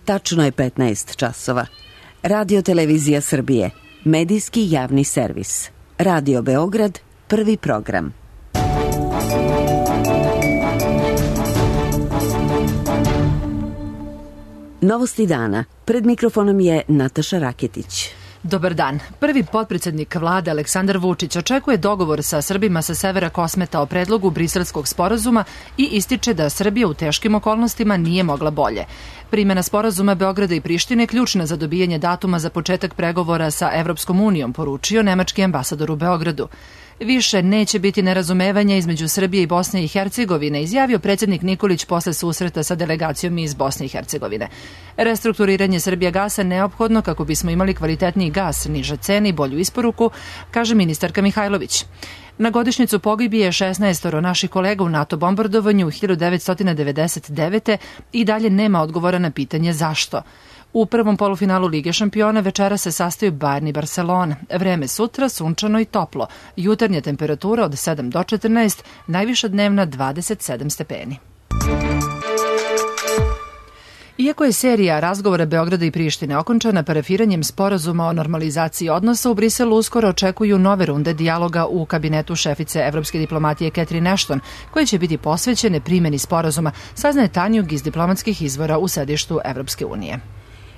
Tačno je 15 časova. Radio Televizija Srbije, medijski javni servis. Radio Beograd, prvi program. Novosti dana. Pred mikrofonom je Nataša Raketić. Dobar dan. Prvi potpredsednik vlade Aleksandar Vučić očekuje dogovor sa Srbima sa severa Kosmeta o predlogu Briselskog sporazuma i ističe da Srbija u teškim okolnostima nije mogla bolje. Primjena sporazuma Beograda i Prištine je ključna za dobijanje datuma za početak pregovora sa Evropskom unijom, poručio nemački ambasador u Beogradu. Više neće biti nerazumevanja između Srbije i Bosne i Hercegovine, izjavio predsjednik Nikolić posle susreta sa delegacijom iz Bosne i Hercegovine. Restrukturiranje Srbijagasa je neophodno kako bismo imali kvalitetniji gas, niže cene i bolju isporuku, kaže ministarka Mihajlović. Na godišnjicu pogibije 16 naših kolega u NATO bombardovanju 1999. i dalje nema odgovora na pitanje zašto. U prvom polufinalu Lige šampiona večera se sastaju Bayern i Barcelona. Vreme sutra sunčano i toplo. Jutarnja temperatura od 7 do 14, najviša dnevna 27 stepeni. Iako je serija razgovora Beograda i Prištine okončana parafiranjem sporazuma o normalizaciji odnosa, u Briselu uskoro očekuju nove runde dijaloga u kabinetu šefice evropske diplomatije Catherine Ashton, koje će biti posvećene primjeni sporazuma, saznaje Tanjug iz diplomatskih izvora u sedištu Evropske unije.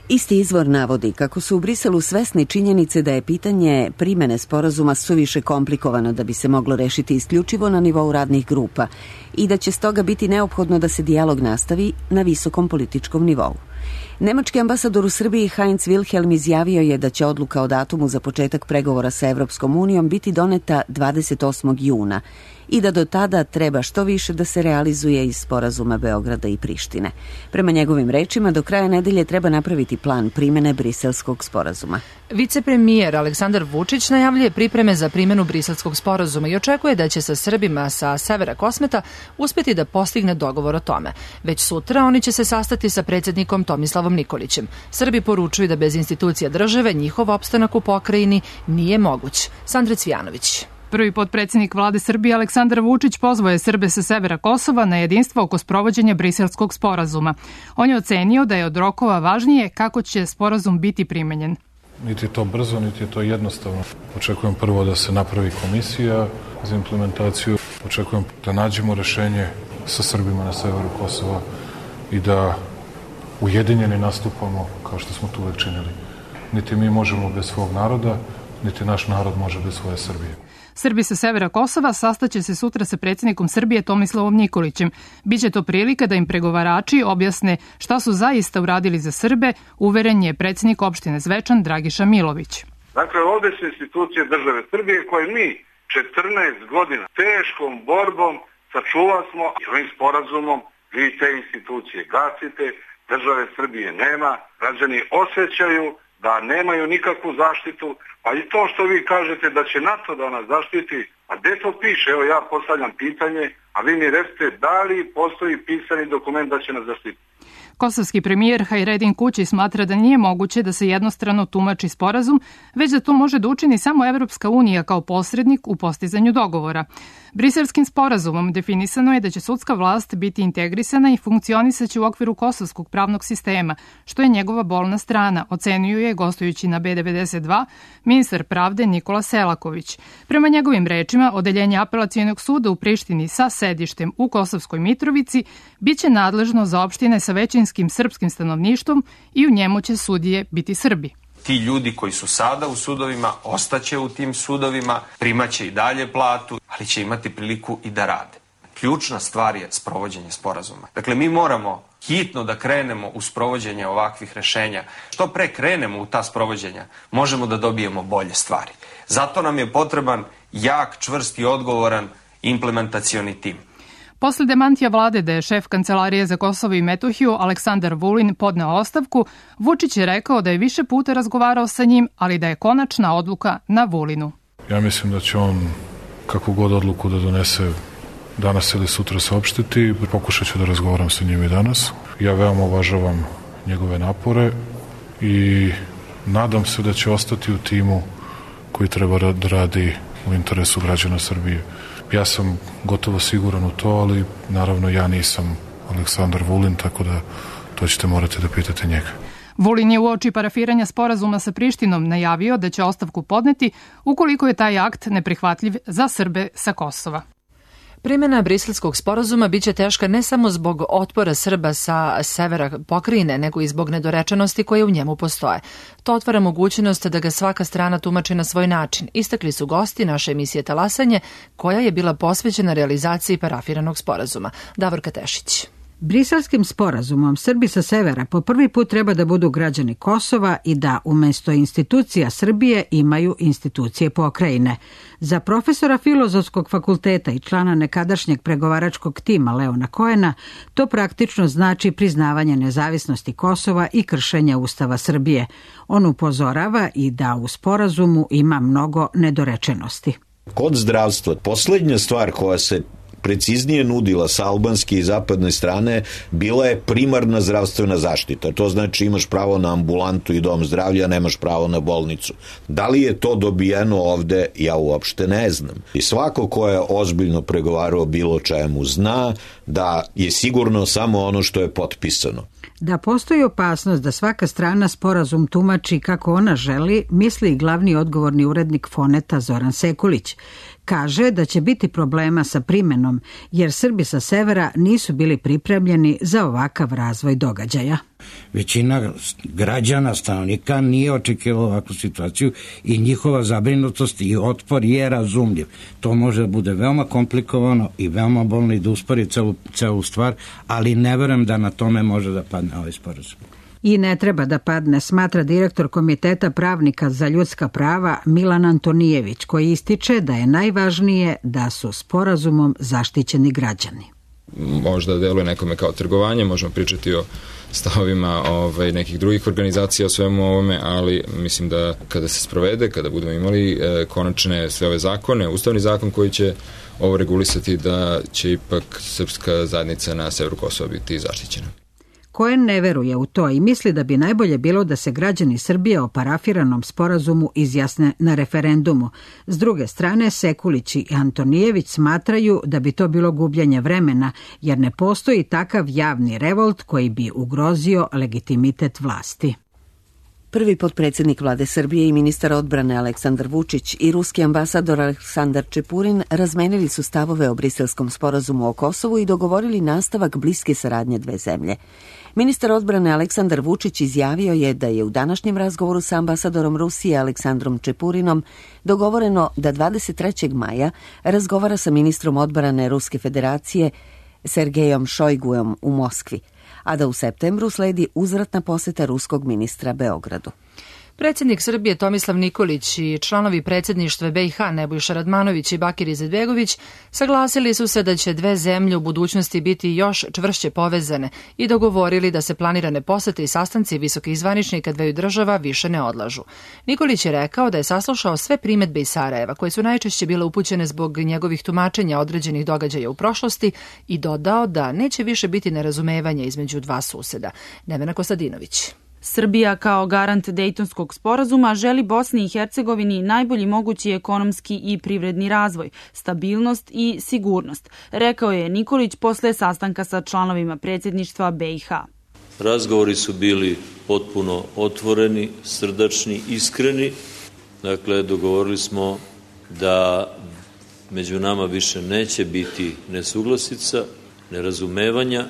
Isti izvor navodi kako su u Briselu svesni činjenice da je pitanje primene sporazuma suviše komplikovano da bi se moglo rešiti isključivo na nivou radnih grupa i da će stoga biti neophodno da se dijalog nastavi na visokom političkom nivou. Nemački ambasador u Srbiji Heinz Wilhelm izjavio je da će odluka o datumu za početak pregovora sa Evropskom unijom biti doneta 28. juna i da do tada treba što više da se realizuje iz sporazuma Beograda i Prištine. Prema njegovim rečima, do kraja nedelje treba napraviti plan primene Briselskog sporazuma. Vicepremijer Aleksandar Vučić najavljuje pripreme za primjenu Briselskog sporazuma i očekuje da će sa Srbima sa severa Kosmeta uspjeti da postigne dogovor o tome. Već sutra oni će se sastati sa predsjednikom Tomislavom Nikolićem. Srbi poručuju da bez institucija države njihov opstanak u pokrajini nije moguć. Sandra Cvijanović. Prvi potpredsjednik vlade Srbije Aleksandar Vučić pozvao je Srbe sa severa Kosova na jedinstvo oko sprovođenja Briselskog sporazuma. On je ocenio da je od rokova važnije kako će sporazum biti primenjen. Niti je to brzo, niti je to jednostavno. Očekujem prvo da se napravi komisija za implementaciju. Očekujem da nađemo rešenje sa Srbima na severu Kosova i da ujedinjeni nastupamo kao što smo tu uvek činili. Niti mi možemo bez svog naroda, niti naš narod može bez svoje Srbije. Srbi sa severa Kosova sastaće se sutra sa predsjednikom Srbije Tomislavom Nikolićem. Biće to prilika da im pregovarači objasne šta su zaista uradili za Srbe, uveren je predsjednik opštine Zvečan Dragiša Milović. Dakle, ovdje su institucije države Srbije koje mi 14 godina teškom borbom sačuvasmo i ovim sporazumom vi te institucije gasite, države Srbije nema, građani osjećaju da nemaju nikakvu zaštitu, pa i to što vi kažete da će NATO da nas zaštiti, a gde to piše? Evo ja postavljam pitanje, a vi mi recite da li postoji pisani dokument da će nas zaštiti. Kosovski premijer Hajredin Kući smatra da nije moguće da se jednostrano tumači sporazum, već da to može da učini samo Evropska unija kao posrednik u postizanju dogovora. Briselskim sporazumom definisano je da će sudska vlast biti integrisana i funkcionisaće u okviru kosovskog pravnog sistema, što je njegova bolna strana, ocenjuje gostujući na B92 ministar pravde Nikola Selaković. Prema njegovim rečima, odeljenje apelacionog suda u Prištini sa sedištem u Kosovskoj Mitrovici biće nadležno za opštine sa većinskim srpskim stanovništvom i u njemu će sudije biti Srbi. Ti ljudi koji su sada u sudovima ostaće u tim sudovima, primaće i dalje platu, ali će imati priliku i da rade. Ključna stvar je sprovođenje sporazuma. Dakle, mi moramo hitno da krenemo u sprovođenje ovakvih rešenja. Što pre krenemo u ta sprovođenja, možemo da dobijemo bolje stvari. Zato nam je potreban jak, čvrst i odgovoran implementacioni tim. Posle demantija vlade da je šef Kancelarije za Kosovo i Metohiju Aleksandar Vulin podneo ostavku, Vučić je rekao da je više puta razgovarao sa njim, ali da je konačna odluka na Vulinu. Ja mislim da će on kakvu god odluku da donese danas ili sutra saopštiti. Pokušat ću da razgovaram sa njim i danas. Ja veoma uvažavam njegove napore i nadam se da će ostati u timu koji treba da radi u interesu građana Srbije. Ja sam gotovo siguran u to, ali naravno ja nisam Aleksandar Vulin, tako da to ćete morati da pitate njega. Vulin je uoči parafiranja sporazuma sa Prištinom najavio da će ostavku podneti ukoliko je taj akt neprihvatljiv za Srbe sa Kosova. Primjena briselskog sporazuma biće teška ne samo zbog otpora Srba sa severa pokrajine, nego i zbog nedorečenosti koje u njemu postoje. To otvara mogućnost da ga svaka strana tumači na svoj način. Istakli su gosti naše emisije Talasanje, koja je bila posvećena realizaciji parafiranog sporazuma. Davorka Tešić. Briselskim sporazumom Srbi sa severa po prvi put treba da budu građani Kosova i da umesto institucija Srbije imaju institucije pokrajine. Za profesora Filozofskog fakulteta i člana nekadašnjeg pregovaračkog tima Leona Koena to praktično znači priznavanje nezavisnosti Kosova i kršenje Ustava Srbije. On upozorava i da u sporazumu ima mnogo nedorečenosti. Kod zdravstva, poslednja stvar koja se preciznije nudila sa albanske i zapadne strane bila je primarna zdravstvena zaštita. To znači imaš pravo na ambulantu i dom zdravlja, nemaš pravo na bolnicu. Da li je to dobijeno ovde, ja uopšte ne znam. I svako ko je ozbiljno pregovarao bilo čemu zna da je sigurno samo ono što je potpisano. Da postoji opasnost da svaka strana sporazum tumači kako ona želi, misli i glavni odgovorni urednik Foneta Zoran Sekulić. Kaže da će biti problema sa primenom, jer Srbi sa severa nisu bili pripremljeni za ovakav razvoj događaja. Većina građana, stanovnika nije očekivala ovakvu situaciju i njihova zabrinutost i otpor je razumljiv. To može da bude veoma komplikovano i veoma bolno i da uspori celu stvar, ali ne verujem da na tome može da padne ovaj sporazum. I ne treba da padne, smatra direktor Komiteta pravnika za ljudska prava Milan Antonijević, koji ističe da je najvažnije da su sporazumom zaštićeni građani. Možda deluje nekome kao trgovanje, možemo pričati o stavovima nekih drugih organizacija o svemu ovome, ali mislim da kada se sprovede, kada budemo imali konačne sve ove zakone, ustavni zakon koji će ovo regulisati, da će ipak srpska zajednica na severu Kosova biti zaštićena. Koen ne veruje u to i misli da bi najbolje bilo da se građani Srbije o parafiranom sporazumu izjasne na referendumu. S druge strane, Sekulić i Antonijević smatraju da bi to bilo gubljenje vremena, jer ne postoji takav javni revolt koji bi ugrozio legitimitet vlasti. Prvi potpredsjednik vlade Srbije i ministar odbrane Aleksandar Vučić i ruski ambasador Aleksandar Čepurin razmenili su stavove o briselskom sporazumu o Kosovu i dogovorili nastavak bliske saradnje dve zemlje. Ministar odbrane Aleksandar Vučić izjavio je da je u današnjem razgovoru sa ambasadorom Rusije Aleksandrom Čepurinom dogovoreno da 23. maja razgovara sa ministrom odbrane Ruske federacije Sergejom Šojguom u Moskvi, a da u septembru sledi uzvratna poseta ruskog ministra Beogradu. Predsjednik Srbije Tomislav Nikolić i članovi predsjedništva BiH Nebojša Radmanović i Bakir Izetbegović saglasili su se da će dve zemlje u budućnosti biti još čvršće povezane i dogovorili da se planirane posete i sastanci visokih zvaničnika dveju država više ne odlažu. Nikolić je rekao da je saslušao sve primedbe iz Sarajeva, koje su najčešće bile upućene zbog njegovih tumačenja određenih događaja u prošlosti, i dodao da neće više biti nerazumevanja između dva suseda. Nevena Kostadinović. Srbija kao garant Dejtonskog sporazuma želi Bosni i Hercegovini najbolji mogući ekonomski i privredni razvoj, stabilnost i sigurnost, rekao je Nikolić posle sastanka sa članovima predsjedništva BiH. Razgovori su bili potpuno otvoreni, srdačni, iskreni. Dakle, dogovorili smo da među nama više neće biti nesuglasica, nerazumevanja,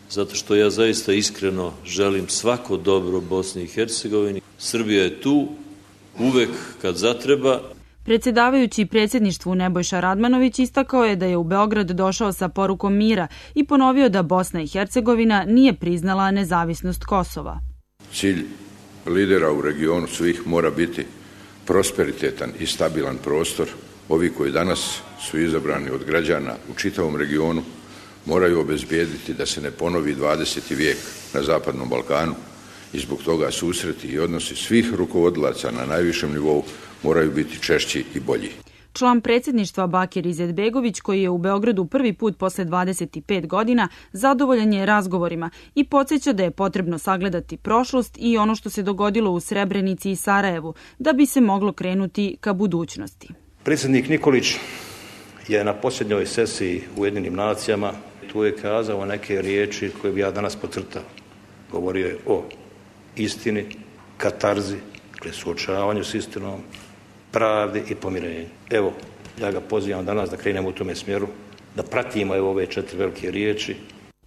zato što ja zaista iskreno želim svako dobro Bosni i Hercegovini. Srbija je tu uvek kad zatreba. Predsjedavajući predsjedništvu Nebojša Radmanović istakao je da je u Beograd došao sa porukom mira i ponovio da Bosna i Hercegovina nije priznala nezavisnost Kosova. Cilj lidera u regionu svih mora biti prosperitetan i stabilan prostor. Ovi koji danas su izabrani od građana u čitavom regionu moraju obezbijediti da se ne ponovi 20. vijek na Zapadnom Balkanu i zbog toga susreti i odnosi svih rukovodilaca na najvišem nivou moraju biti češći i bolji. Član predsjedništva Bakir Izetbegović, koji je u Beogradu prvi put posle 25 godina, zadovoljan je razgovorima i podsjeća da je potrebno sagledati prošlost i ono što se dogodilo u Srebrenici i Sarajevu, da bi se moglo krenuti ka budućnosti. Predsjednik Nikolić je na posljednjoj sesiji u Ujedinjenim nacijama tu je kazao neke riječi koje bi ja danas podcrtao. govorio je o istini, katarzi, dakle suočavanju s istinom, pravdi i pomirenju. Evo, ja ga pozivam danas da krenemo u tome smjeru, da pratimo ove 4 velike riječi.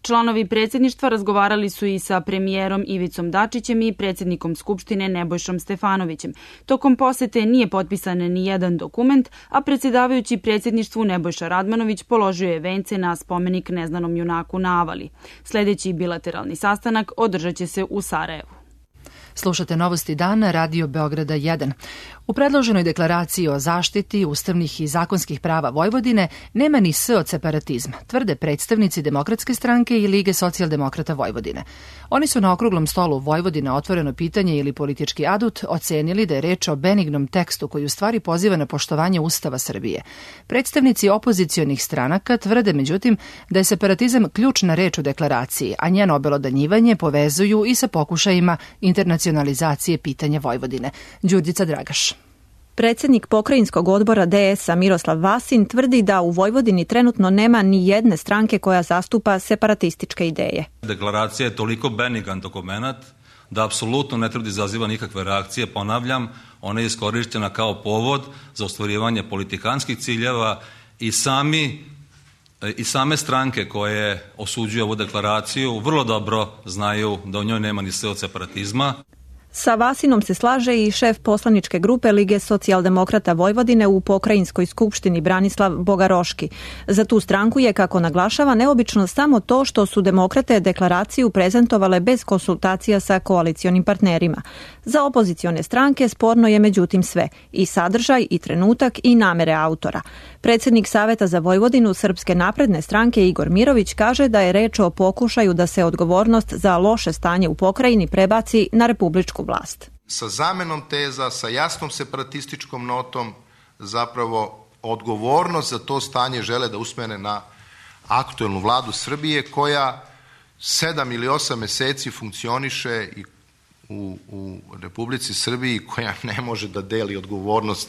Članovi predsjedništva razgovarali su i sa premijerom Ivicom Dačićem i predsjednikom Skupštine Nebojšom Stefanovićem. Tokom posete nije potpisan ni jedan dokument, a predsjedavajući predsjedništvu Nebojša Radmanović položio je vence na spomenik neznanom junaku na Avali. Sljedeći bilateralni sastanak održat će se u Sarajevu. Slušate Novosti dana, Radio Beograda 1. U predloženoj deklaraciji o zaštiti ustavnih i zakonskih prava Vojvodine nema ni S od separatizma, tvrde predstavnici Demokratske stranke i Lige socijaldemokrata Vojvodine. Oni su na okruglom stolu Vojvodina otvoreno pitanje ili politički adut ocenili da je reč o benignom tekstu koji u stvari poziva na poštovanje Ustava Srbije. Predstavnici opozicionih stranaka tvrde međutim da je separatizam ključna reč u deklaraciji, a njeno obelodanjivanje povezuju i sa pokušajima internacionalizacije pitanja Vojvodine. Đurđica Dragaš. Predsjednik pokrajinskog odbora DS-a Miroslav Vasin tvrdi da u Vojvodini trenutno nema ni jedne stranke koja zastupa separatističke ideje. Deklaracija je toliko benigan dokument da apsolutno ne treba da izaziva nikakve reakcije. Ponavljam, ona je iskorištena kao povod za ostvarivanje politikanskih ciljeva i same stranke koje osuđuju ovu deklaraciju vrlo dobro znaju da u njoj nema ni S od separatizma. Sa Vasinom se slaže i šef poslaničke grupe Lige socijaldemokrata Vojvodine u pokrajinskoj skupštini Branislav Bogaroški. Za tu stranku je, kako naglašava, neobično samo to što su demokrate deklaraciju prezentovale bez konsultacija sa koalicionim partnerima. Za opozicione stranke sporno je međutim sve, i sadržaj, i trenutak, i namere autora. Predsjednik Saveta za Vojvodinu Srpske napredne stranke Igor Mirović kaže da je reč o pokušaju da se odgovornost za loše stanje u pokrajini prebaci na republičku vlast. Sa zamenom teza, sa jasnom separatističkom notom, zapravo odgovornost za to stanje žele da usmene na aktuelnu vladu Srbije koja 7 ili 8 meseci funkcioniše i u Republici Srbiji, koja ne može da deli odgovornost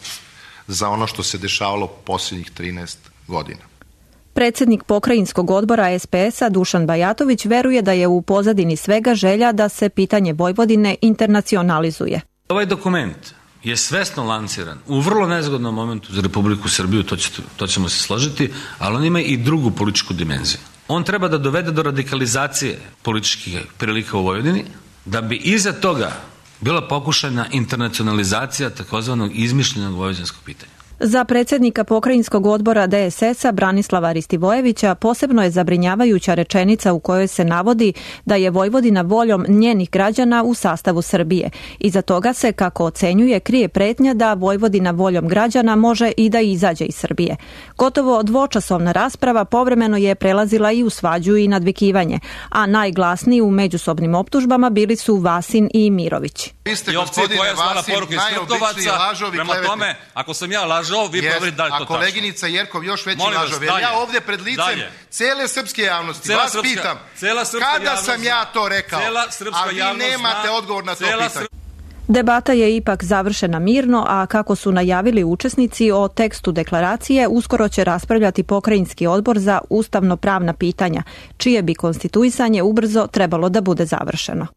za ono što se dešavalo posljednjih 13 godina. Predsjednik pokrajinskog odbora SPS-a Dušan Bajatović veruje da je u pozadini svega želja da se pitanje Vojvodine internacionalizuje. Ovaj dokument je svesno lanciran u vrlo nezgodnom momentu za Republiku Srbiju, to ćemo se složiti, ali on ima i drugu političku dimenziju. On treba da dovede do radikalizacije političkih prilika u Vojvodini, da bi iza toga bila pokušana internacionalizacija takozvanog izmišljenog vojvođanskog pitanja. Za predsjednika pokrajinskog odbora DSS-a Branislava Ristivojevića posebno je zabrinjavajuća rečenica u kojoj se navodi da je Vojvodina voljom njenih građana u sastavu Srbije. Iza toga se, kako ocenjuje, krije pretnja da Vojvodina voljom građana može i da izađe iz Srbije. Gotovo dvočasovna rasprava povremeno je prelazila i u svađu i nadvikivanje, a najglasniji u međusobnim optužbama bili su Vasin i Mirović. Vi ste, gospodine Vasin, najobičniji lažovi prema tome, ako sam ja lažov, vi proverite da li to tačno. A koleginica Jerkov još veći lažov. Jer ja ovdje pred licem cele srpske javnosti vas pitam, kada sam ja to rekao, a vi nemate odgovor na to pitanje. Debata je ipak završena mirno, a kako su najavili učesnici, o tekstu deklaracije uskoro će raspravljati pokrajinski odbor za ustavno-pravna pitanja, čije bi konstituisanje ubrzo trebalo da bude završeno.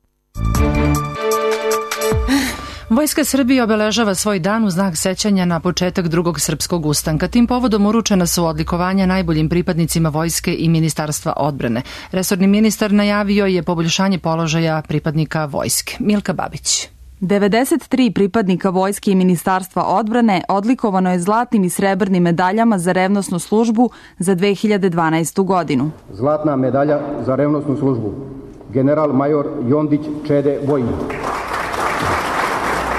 Vojska Srbije obeležava svoj dan u znak sećanja na početak drugog srpskog ustanka. Tim povodom uručena su odlikovanja najboljim pripadnicima vojske i Ministarstva odbrane. Resorni ministar najavio je poboljšanje položaja pripadnika vojske. Milka Babić. 93 pripadnika vojske i Ministarstva odbrane odlikovano je zlatnim i srebrnim medaljama za revnosnu službu za 2012. godinu. Zlatna medalja za revnosnu službu. General major Jondić Čede Vojin.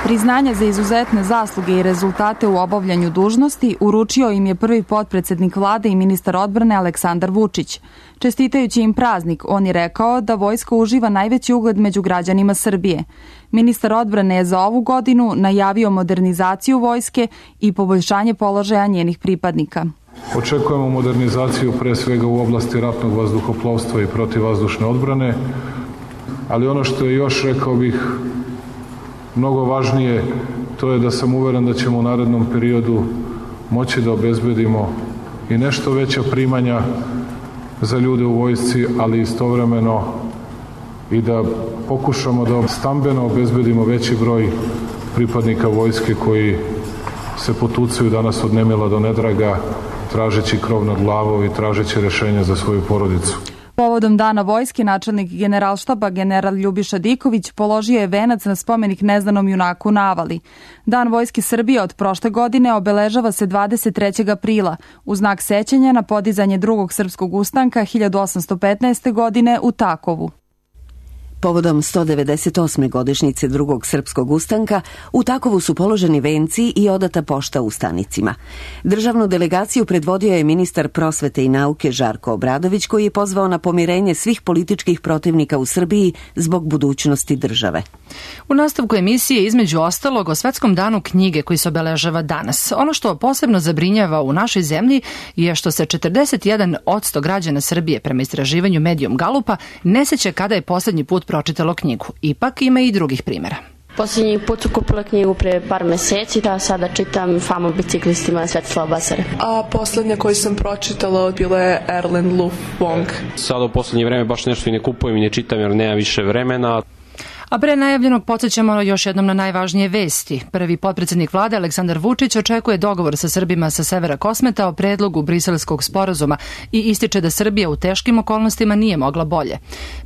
Priznanja za izuzetne zasluge i rezultate u obavljanju dužnosti uručio im je prvi potpredsednik vlade i ministar odbrane Aleksandar Vučić. Čestitajući im praznik, on je rekao da vojska uživa najveći ugled među građanima Srbije. Ministar odbrane je za ovu godinu najavio modernizaciju vojske i poboljšanje položaja njenih pripadnika. Očekujemo modernizaciju pre svega u oblasti ratnog vazduhoplovstva i protivvazdušne odbrane, ali ono što je još, rekao bih, mnogo važnije, to je da sam uveren da ćemo u narednom periodu moći da obezbedimo i nešto veća primanja za ljude u vojsci, ali istovremeno i da pokušamo da stambeno obezbedimo veći broj pripadnika vojske koji se potucaju danas od nemila do nedraga, tražeći krov nad glavom i tražeći rešenja za svoju porodicu. Povodom Dana vojske, načelnik Generalštaba general Ljubiša Diković položio je venac na spomenik neznanom junaku na Avali. Dan vojske Srbije od prošle godine obeležava se 23. aprila u znak sećanja na podizanje drugog srpskog ustanka 1815. godine u Takovu. Povodom 198. godišnjice drugog srpskog ustanka, u Takovu su položeni venci i odata pošta ustanicima. Državnu delegaciju predvodio je ministar prosvete i nauke Žarko Obradović, koji je pozvao na pomirenje svih političkih protivnika u Srbiji zbog budućnosti države. U nastavku emisije između ostalog o Svetskom danu knjige koji se obeležava danas. Ono što posebno zabrinjava u našoj zemlji je što se 41% građana Srbije prema istraživanju Medium Galupa ne seća kada je poslednji put pročitalo knjigu. Ipak ima i drugih primjera. Posljednji put su kupila knjigu pre par meseci, da sada čitam Fama o biciklistima Svetislava Basare. A poslednja koju sam pročitala bila je Erland Luf Wong. Sada u poslednje vreme baš nešto i ne kupujem i ne čitam jer nema više vremena. A pre najavljenog podsjećamo još jednom na najvažnije vesti. Prvi potpredsednik vlade Aleksandar Vučić očekuje dogovor sa Srbima sa severa Kosmeta o predlogu briselskog sporazuma i ističe da Srbija u teškim okolnostima nije mogla bolje.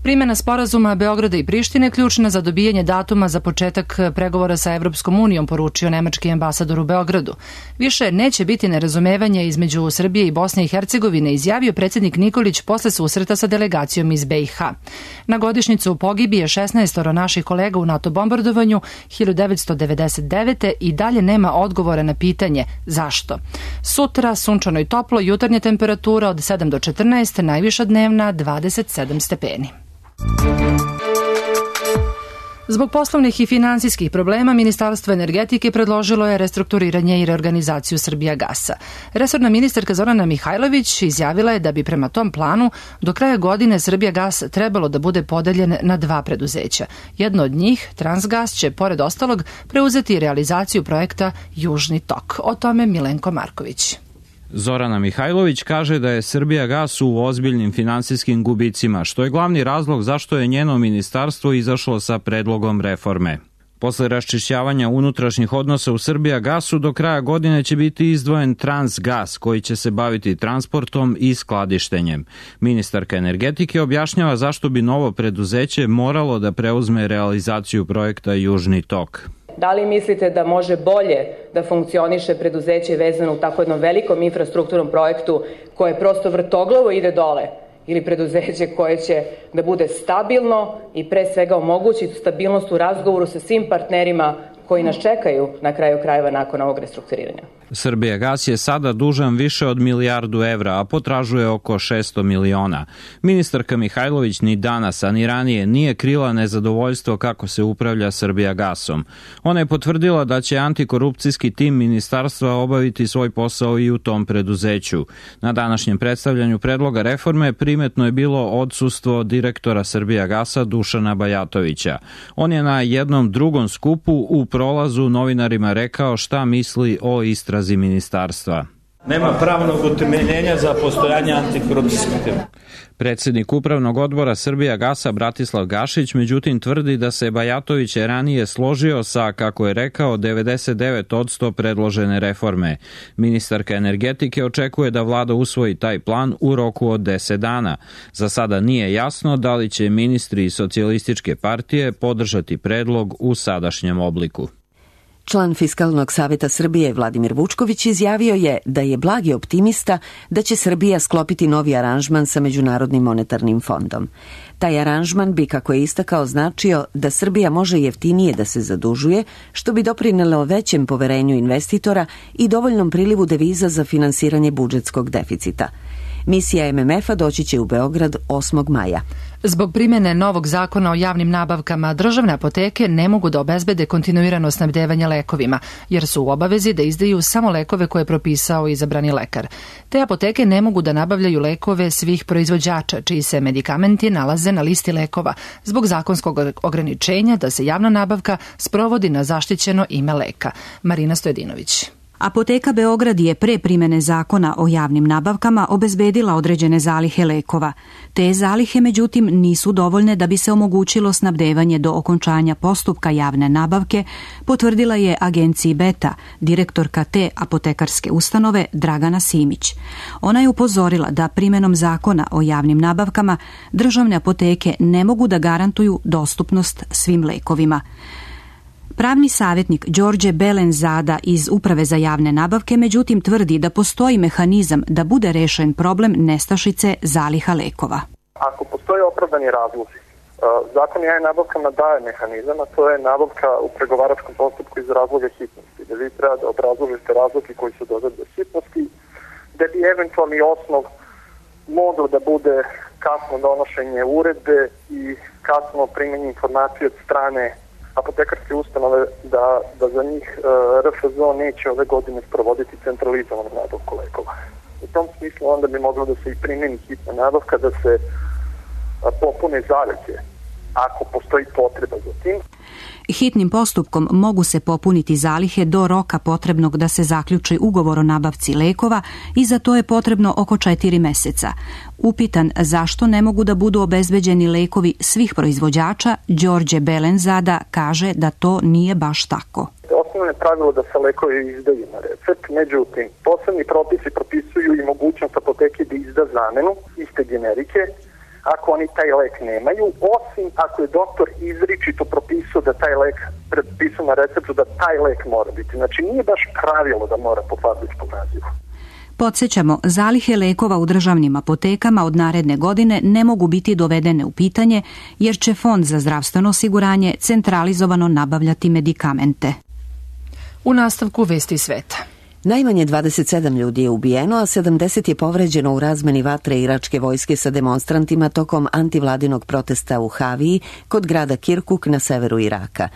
Primjena sporazuma Beograda i Prištine ključna za dobijanje datuma za početak pregovora sa Evropskom unijom, poručio nemački ambasador u Beogradu. Više neće biti nerazumevanja između Srbije i Bosne i Hercegovine, izjavio predsjednik Nikolić posle susreta sa delegacijom iz BiH. Na godišnjicu pogibije 16 naših kolega u NATO bombardovanju 1999. i dalje nema odgovora na pitanje zašto. Sutra sunčano i toplo, jutarnja temperatura od 7 do 14, najviša dnevna 27 stepeni. Zbog poslovnih i finansijskih problema, Ministarstvo energetike predložilo je restrukturiranje i reorganizaciju Srbijagasa. Resorna ministarka Zorana Mihajlović izjavila je da bi prema tom planu do kraja godine Srbijagas trebalo da bude podeljen na 2 preduzeća. Jedno od njih, Transgas, će pored ostalog preuzeti realizaciju projekta Južni tok. O tome Milenko Marković. Zorana Mihajlović kaže da je Srbijagas u ozbiljnim finansijskim gubicima, što je glavni razlog zašto je njeno ministarstvo izašlo sa predlogom reforme. Posle raščišćavanja unutrašnjih odnosa u Srbijagasu do kraja godine će biti izdvojen Transgas koji će se baviti transportom i skladištenjem. Ministarka energetike objašnjava zašto bi novo preduzeće moralo da preuzme realizaciju projekta Južni tok. Da li mislite da može bolje da funkcioniše preduzeće vezano u tako jednom velikom infrastrukturnom projektu koje prosto vrtoglavo ide dole, ili preduzeće koje će da bude stabilno i pre svega omogući stabilnost u razgovoru sa svim partnerima koji nas čekaju na kraju krajeva nakon ovog restrukturiranja? Srbijagas je sada dužan više od 1 milijardu evra, a potražuje oko 600 miliona. Ministarka Mihajlović ni danas, a ni ranije nije krila nezadovoljstvo kako se upravlja Srbijagasom. Ona je potvrdila da će antikorupcijski tim ministarstva obaviti svoj posao i u tom preduzeću. Na današnjem predstavljanju predloga reforme primetno je bilo odsustvo direktora Srbijagasa Dušana Bajatovića. On je na jednom drugom skupu u prolazu novinarima rekao šta misli o istrazi ministarstva. Nema pravnog utemeljenja za postojanje antikorupcijskog tima. Predsednik upravnog odbora Srbijagasa Bratislav Gašić međutim tvrdi da se Bajatović ranije složio sa, kako je rekao, 99% predložene reforme. Ministarka energetike očekuje da vlada usvoji taj plan u roku od 10 dana. Za sada nije jasno da li će ministri Socijalističke partije podržati predlog u sadašnjem obliku. Član Fiskalnog saveta Srbije Vladimir Vučković izjavio je da je blagi optimista da će Srbija sklopiti novi aranžman sa Međunarodnim monetarnim fondom. Taj aranžman bi, kako je istakao, značio da Srbija može jeftinije da se zadužuje, što bi doprinelo većem poverenju investitora i dovoljnom prilivu deviza za finansiranje budžetskog deficita. Misija MMF-a doći će u Beograd 8. maja. Zbog primjene novog zakona o javnim nabavkama, državne apoteke ne mogu da obezbede kontinuirano snabdevanje lekovima, jer su u obavezi da izdaju samo lekove koje je propisao izabrani lekar. Te apoteke ne mogu da nabavljaju lekove svih proizvođača, čiji se medikamenti nalaze na listi lekova, zbog zakonskog ograničenja da se javna nabavka sprovodi na zaštićeno ime leka. Marina Stojedinović. Apoteka Beograd je pre primene zakona o javnim nabavkama obezbedila određene zalihe lekova. Te zalihe, međutim, nisu dovoljne da bi se omogućilo snabdevanje do okončanja postupka javne nabavke, potvrdila je agenciji Beta, direktorka te apotekarske ustanove Dragana Simić. Ona je upozorila da primenom zakona o javnim nabavkama državne apoteke ne mogu da garantuju dostupnost svim lekovima. Pravni savjetnik Đorđe Belenzada iz Uprave za javne nabavke međutim tvrdi da postoji mehanizam da bude rešen problem nestašice zaliha lekova. Ako postoje opravdani razlozi, zakon o javnim nabavkama daje mehanizam, a to je nabavka u pregovaračkom postupku iz razloga hitnosti, da vi treba da obrazložite razloge koji su dodati do hitnosti, da bi eventualni osnov moglo da bude kasno donošenje uredbe i kasno primjenje informacije od strane apotekarske ustanove da za njih RFZO neće ove godine sprovoditi centralizovanu nabavku lekova. U tom smislu onda bi moglo da se i primjeni hitna nabavka, da se popune zalihe ako postoji potreba za tim. Hitnim postupkom mogu se popuniti zalihe do roka potrebnog da se zaključi ugovor o nabavci lekova i za to je potrebno oko 4 meseca. Upitan zašto ne mogu da budu obezbeđeni lekovi svih proizvođača, Đorđe Belenzada kaže da to nije baš tako. Osnovno je pravilo da se lekovi izdaju na recept, međutim, posebni propisi propisuju i mogućnost apoteke da izda zamenu iste generike ako oni taj lek nemaju, osim ako je doktor izričito propisao da taj lek prepisao na receptu, da taj lek mora biti. Znači nije baš pravilo da mora po fabričkom nazivu. Podsjećamo, zalihe lekova u državnim apotekama od naredne godine ne mogu biti dovedene u pitanje jer će Fond za zdravstveno osiguranje centralizovano nabavljati medikamente. U nastavku vesti sveta. Najmanje 27 ljudi je ubijeno, a 70 je povređeno u razmeni vatre iračke vojske sa demonstrantima tokom antivladinog protesta u Haviji kod grada Kirkuk na severu Iraka.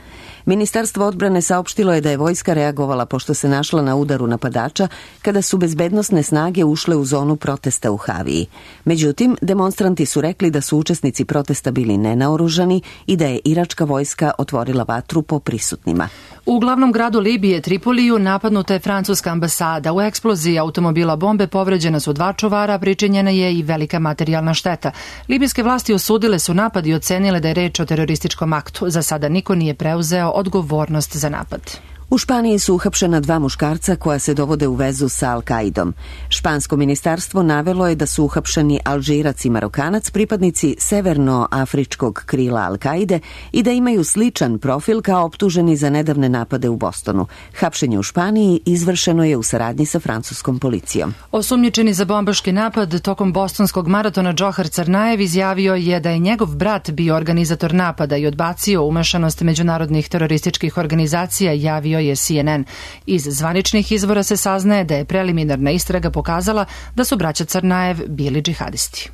Ministarstvo odbrane saopštilo je da je vojska reagovala pošto se našla na udaru napadača kada su bezbednosne snage ušle u zonu protesta u Haviji. Međutim, demonstranti su rekli da su učesnici protesta bili nenaoružani i da je iračka vojska otvorila vatru po prisutnima. U glavnom gradu Libije, Tripoliju, napadnuta je francuska ambasada. U eksploziji automobila bombe povređena su 2 čuvara, pričinjena je i velika materijalna šteta. Libijske vlasti osudile su napad i ocenile da je reč o terorističkom aktu. Za sada niko nije preuzeo odgovornost za napad. U Španiji su uhapšena 2 muškarca koja se dovode u vezu sa Al-Kaidom. Špansko ministarstvo navelo je da su uhapšeni Alžirac i Marokanac, pripadnici severnoafričkog krila Al-Kaide i da imaju sličan profil kao optuženi za nedavne napade u Bostonu. Hapšenje u Španiji izvršeno je u saradnji sa francuskom policijom. Osumnjičeni za bombaški napad tokom bostonskog maratona Džohar Crnajev izjavio je da je njegov brat bio organizator napada i odbacio umešanost međunarodnih terorističkih organizacija, javio je CNN. Iz zvaničnih izvora se saznaje da je preliminarna istraga pokazala da su braća Crnajev bili džihadisti.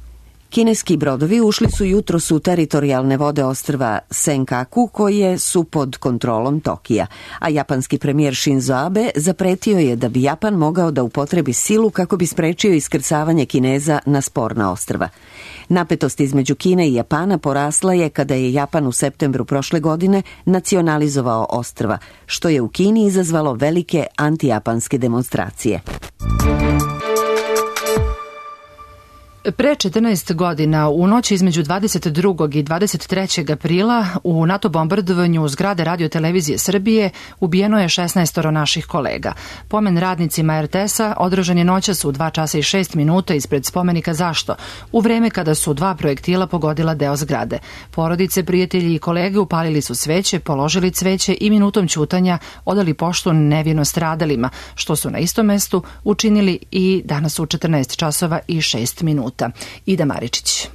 Kineski brodovi ušli su jutros u teritorijalne vode ostrva Senkaku koje su pod kontrolom Tokija, a japanski premijer Shinzo Abe zapretio je da bi Japan mogao da upotrebi silu kako bi sprečio iskrcavanje Kineza na sporna ostrva. Napetost između Kine i Japana porasla je kada je Japan u septembru prošle godine nacionalizovao ostrva, što je u Kini izazvalo velike antijapanske demonstracije. Pre 14 godina, u noći između 22. i 23. aprila, u NATO bombardovanju zgrade Radio-televizije Srbije ubijeno je 16 naših kolega. Pomen radnicima RTS-a održan je noćas u 2 časa i 6 minuta ispred spomenika Zašto, u vreme kada su 2 projektila pogodila deo zgrade. Porodice, prijatelji i kolege upalili su sveće, položili cveće i minutom ćutanja odali poštu nevino stradalima, što su na istom mestu učinili i danas u 14 časova i 6 minuta. Ida Maričić.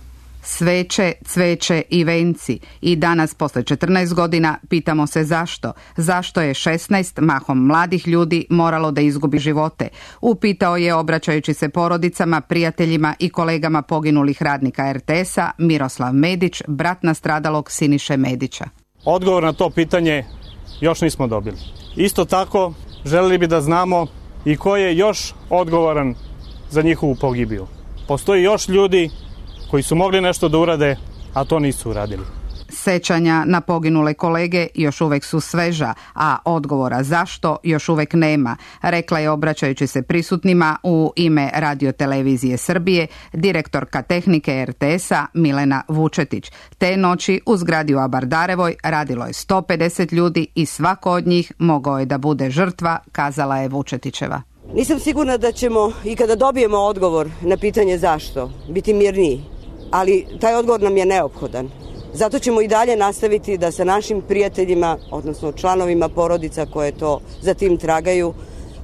Sveće, cveće i venci. I danas, posle 14 godina, pitamo se zašto. Zašto je 16 mahom mladih ljudi moralo da izgubi živote? Upitao je, obraćajući se porodicama, prijateljima i kolegama poginulih radnika RTS-a, Miroslav Medić, brat nastradalog Siniše Medića. Odgovor na to pitanje još nismo dobili. Isto tako, želeli bi da znamo i ko je još odgovoran za njihovu pogibiju. Postoji još ljudi koji su mogli nešto da urade, a to nisu uradili. Sećanja na poginule kolege još uvek su sveža, a odgovora zašto još uvek nema, rekla je obraćajući se prisutnima u ime Radio-televizije Srbije direktorka tehnike RTS-a Milena Vučetić. Te noći u zgradi u Abardarevoj radilo je 150 ljudi i svako od njih mogao je da bude žrtva, kazala je Vučetićeva. Nisam sigurna da ćemo i kada dobijemo odgovor na pitanje zašto biti mirniji, ali taj odgovor nam je neophodan. Zato ćemo i dalje nastaviti da sa našim prijateljima, odnosno članovima porodica koje to za tim tragaju,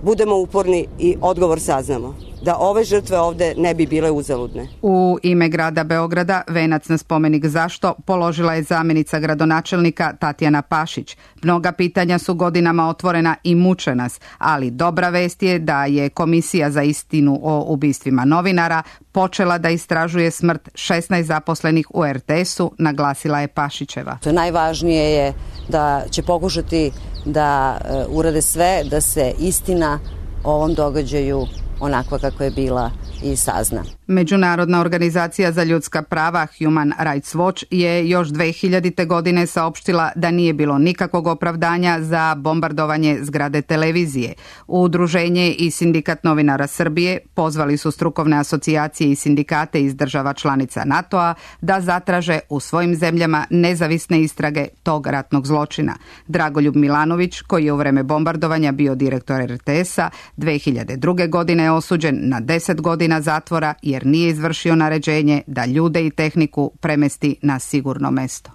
budemo uporni i odgovor saznamo. Da ove žrtve ovde ne bi bile uzaludne. U ime grada Beograda venac na spomenik zašto položila je zamjenica gradonačelnika Tatjana Pašić. Mnoga pitanja su godinama otvorena i muče nas, ali dobra vest je da je Komisija za istinu o ubistvima novinara počela da istražuje smrt 16 zaposlenih u RTS-u, naglasila je Pašićeva. To najvažnije je da će pokušati da urade sve da se istina o ovom događaju onakva kako je bila i sazna. Međunarodna organizacija za ljudska prava Human Rights Watch je još 2000. godine saopštila da nije bilo nikakvog opravdanja za bombardovanje zgrade televizije. Udruženje i Sindikat novinara Srbije pozvali su strukovne asocijacije i sindikate iz država članica NATO-a da zatraže u svojim zemljama nezavisne istrage tog ratnog zločina. Dragoljub Milanović, koji je u vreme bombardovanja bio direktor RTS-a, 2002. godine je osuđen na 10 godina zatvora jer nije izvršio naređenje da ljude i tehniku premesti na sigurno mesto.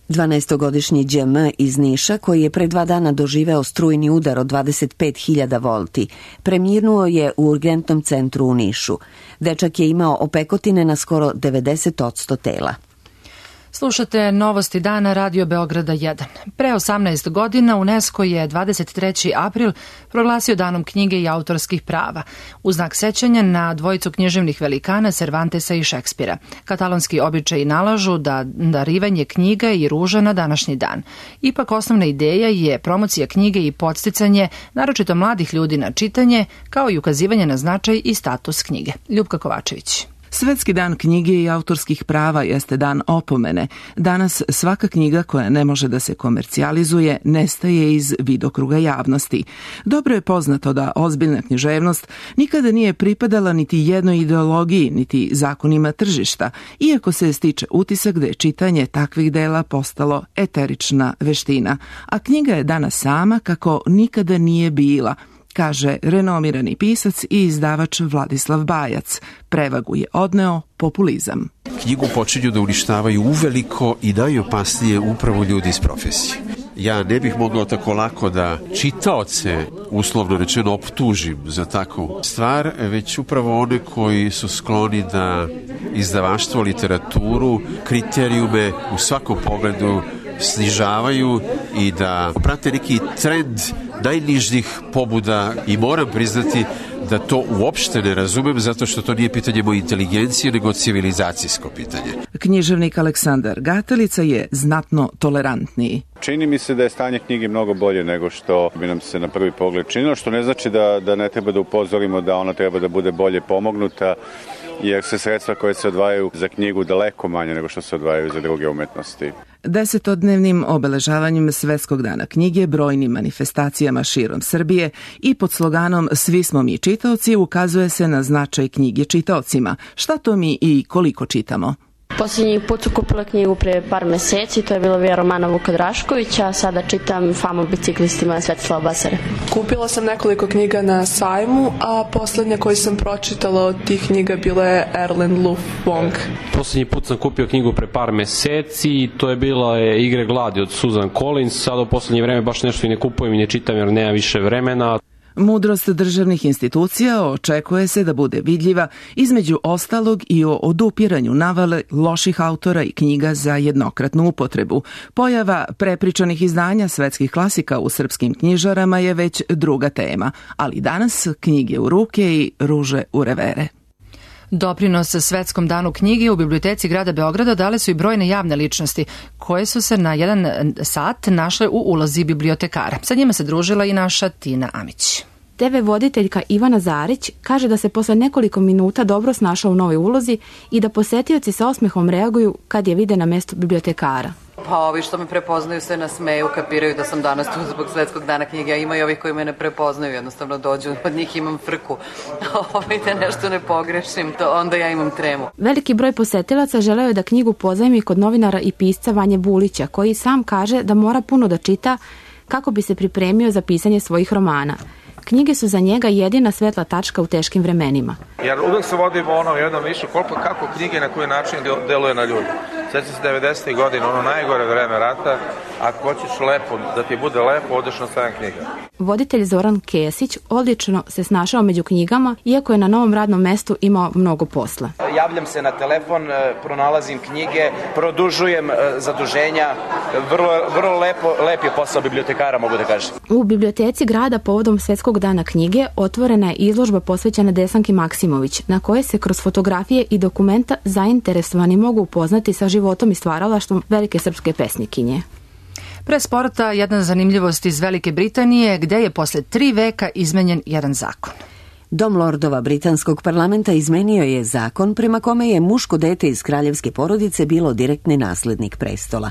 12-godišnji DM iz Niša, koji je pre 2 dana doživeo strujni udar od 25.000 volti, preminuo je u urgentnom centru u Nišu. Dečak je imao opekotine na skoro 90% tela. Slušate Novosti dana Radio Beograda 1. Pre 18 godina UNESCO je 23. april proglasio danom knjige i autorskih prava, u znak sećanja na dvojicu književnih velikana Cervantesa i Šekspira. Katalonski običaji nalažu da darivanje knjiga i ruža na današnji dan. Ipak osnovna ideja je promocija knjige i podsticanje, naročito mladih ljudi na čitanje, kao i ukazivanje na značaj i status knjige. Ljupka Kovačević. Svetski dan knjige i autorskih prava jeste dan opomene. Danas svaka knjiga koja ne može da se komercijalizuje nestaje iz vidokruga javnosti. Dobro je poznato da ozbiljna književnost nikada nije pripadala niti jednoj ideologiji, niti zakonima tržišta, iako se stiče utisak da je čitanje takvih dela postalo eterična veština. A knjiga je danas sama kako nikada nije bila, kaže renomirani pisac i izdavač Vladislav Bajac. Prevagu je odneo populizam. Knjigu počinju da uništavaju uveliko i daju opasnije upravo ljudi iz profesije. Ja ne bih mogao tako lako da čitaoce, uslovno rečeno, optužim za takvu stvar, već upravo one koji su skloni da izdavaštvo, literaturu, kriterijume u svakom pogledu snižavaju i da prate neki trend najnižih pobuda i moram priznati da to uopšte ne razumem zato što to nije pitanje moje inteligencije nego civilizacijsko pitanje. Književnik Aleksandar Gatelica je znatno tolerantniji. Čini mi se da je stanje knjige mnogo bolje nego što bi nam se na prvi pogled činilo, što ne znači da ne treba da upozorimo da ona treba da bude bolje pomognuta, jer se sredstva koje se odvajaju za knjigu daleko manje nego što se odvajaju za druge umetnosti. 10-dnevnim obeležavanjem Svetskog dana knjige, brojnim manifestacijama širom Srbije i pod sloganom Svi smo mi čitaoci ukazuje se na značaj knjige čitaocima. Šta to mi i koliko čitamo? Posljednji put su kupila knjigu pre par meseci, to je bila Vija romana Vuka Draškovića, a sada čitam Famu biciklistima Svetislava Basare. Kupila sam nekoliko knjiga na sajmu, a poslednja koju sam pročitala od tih knjiga bila je Erlen Luf Wong. Posljednji put sam kupio knjigu pre par meseci i to je bila Igre gladi od Susan Collins. Sada u poslednje vreme baš nešto i ne kupujem i ne čitam jer nema više vremena. Mudrost državnih institucija očekuje se da bude vidljiva između ostalog i o odupiranju navale loših autora i knjiga za jednokratnu upotrebu. Pojava prepričanih izdanja svetskih klasika u srpskim knjižarama je već druga tema, ali danas knjige u ruke i ruže u revere. Doprinos Svetskom danu knjige u biblioteci grada Beograda dale su i brojne javne ličnosti koje su se na 1 sat našle u ulozi bibliotekara. Sa njima se družila i naša Tina Amić. TV voditeljka Ivana Zarić kaže da se posle nekoliko minuta dobro snašao u novoj ulozi i da posetioci sa osmehom reaguju kad je vide na mestu bibliotekara. Pa ovi što me prepoznaju se nasmeju, kapiraju da sam danas tu zbog Svetskog dana knjige, a ima i ovih koji me ne prepoznaju, jednostavno dođu, od njih imam frku. Da nešto ne pogrešim, to onda ja imam tremu. Veliki broj posetilaca želeo je da knjigu pozajmi kod novinara i pisca Vanje Bulića, koji sam kaže da mora puno da čita kako bi se pripremio za pisanje svojih romana. Knjige su za njega jedina svetla tačka u teškim vremenima. Jer uvek se vodimo ono jednom više kako knjige na koji način deluje na ljudi. Sveća se 90. godina, ono najgore vreme rata, ako hoćeš lepo, da ti bude lepo, odeš na 7 knjiga. Voditelj Zoran Kesić odlično se snašao među knjigama, iako je na novom radnom mestu imao mnogo posla. Javljam se na telefon, pronalazim knjige, produžujem zaduženja, vrlo lep je posao bibliotekara, mogu da kažem. U biblioteci grada povodom Svetskog dana knjige otvorena je izložba posvećena Desanki Maksimović, na koje se kroz fotografije i dokumenta zainteresovani mogu upoznati sa životom i stvaralaštvom velike srpske pesnikinje. Pre sporta jedna zanimljivost iz Velike Britanije, gde je posle 3 veka izmenjen jedan zakon. Dom lordova britanskog parlamenta izmenio je zakon prema kome je muško dete iz kraljevske porodice bilo direktni naslednik prestola.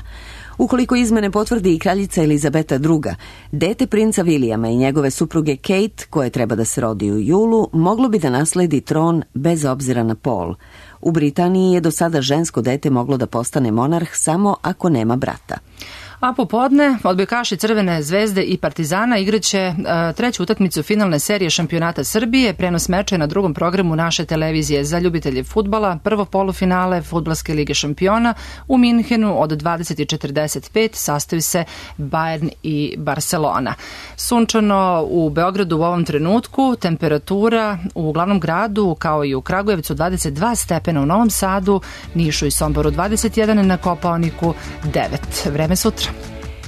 Ukoliko izmene potvrdi i kraljica Elizabeta II, dete princa Vilijama i njegove supruge Kate, koje treba da se rodi u julu, moglo bi da nasledi tron bez obzira na pol. U Britaniji je do sada žensko dete moglo da postane monarh samo ako nema brata. A popodne odbojkaši Crvene zvezde i Partizana igraće treću utakmicu finalne serije šampionata Srbije. Prenos meča je na drugom programu naše televizije za ljubitelje fudbala. Prvo polufinale Fudbalske lige šampiona u Minhenu od 20:45 sastoji se Bayern i Barcelona. Sunčano u Beogradu u ovom trenutku, temperatura u glavnom gradu kao i u Kragujevcu 22 stepena, u Novom Sadu, Nišu i Somboru 21, na Kopaoniku 9. Vreme sutra.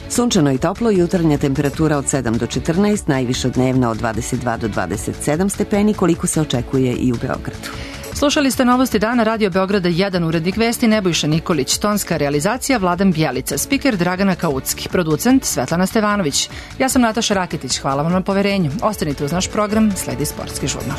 Sunčano i toplo, jutarnja temperatura od 7 do 14, najviša dnevna od 22 do 27 stepeni, koliko se očekuje i u Beogradu. Slušali ste Novosti dana Radio Beograda 1, urednik vesti Nebojša Nikolić, tonska realizacija Vladan Bjelica, spiker Dragana Kaucki, producent Svetlana Stevanović. Ja sam Nataša Raketić, hvala vam na poverenju. Ostanite uz naš program, sledi Sportski žurnal.